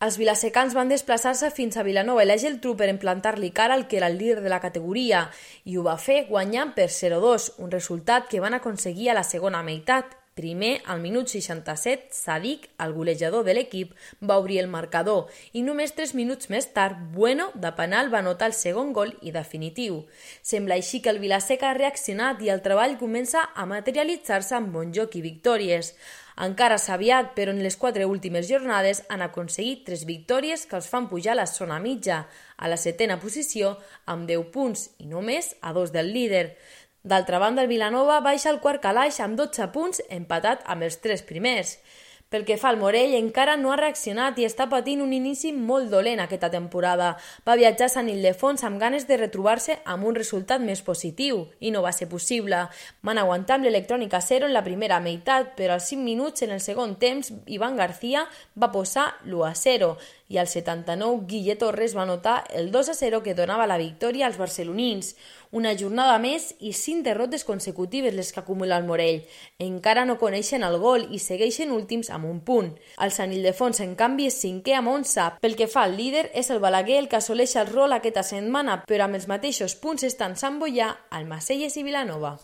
Els vilasecans van desplaçar-se fins a Vilanova i la Geltrú per plantar-li cara al que era el líder de la categoria i ho va fer guanyant per 0-2, un resultat que van aconseguir a la segona meitat. Primer, al minut 67, Sadik, el golejador de l'equip, va obrir el marcador i només 3 minuts més tard, Bueno, de penal, va anotar el segon gol i definitiu. Sembla així que el Vilaseca ha reaccionat i el treball comença a materialitzar-se amb bon joc i victòries. Encara s'ha aviat, però en les 4 últimes jornades han aconseguit 3 victòries que els fan pujar a la zona mitja, a la 7a posició, amb 10 punts i només a 2 del líder. D'altra banda, el Vilanova baixa al quart calaix amb 12 punts, empatat amb els 3 primers. Pel que fa al Morell, encara no ha reaccionat i està patint un inici molt dolent aquesta temporada. Va viatjar a Sant Ildefons amb ganes de retrobar-se amb un resultat més positiu i no va ser possible. Van aguantar amb l'Electrònica 0 en la primera meitat, però als 5 minuts en el segon temps Ivan García va posar l'1-0 i al 79 Guille Torres va anotar el 2-0 que donava la victòria als barcelonins. Una jornada més i 5 derrotes consecutives les que acumula el Morell. Encara no coneixen el gol i segueixen últims amb un punt. El Sant Ildefons, en canvi, és 5è amb 11. Pel que fa al líder, és el Balaguer el que assoleix el rol aquesta setmana, però amb els mateixos punts estan Sant Boià, Almacelles i Vilanova.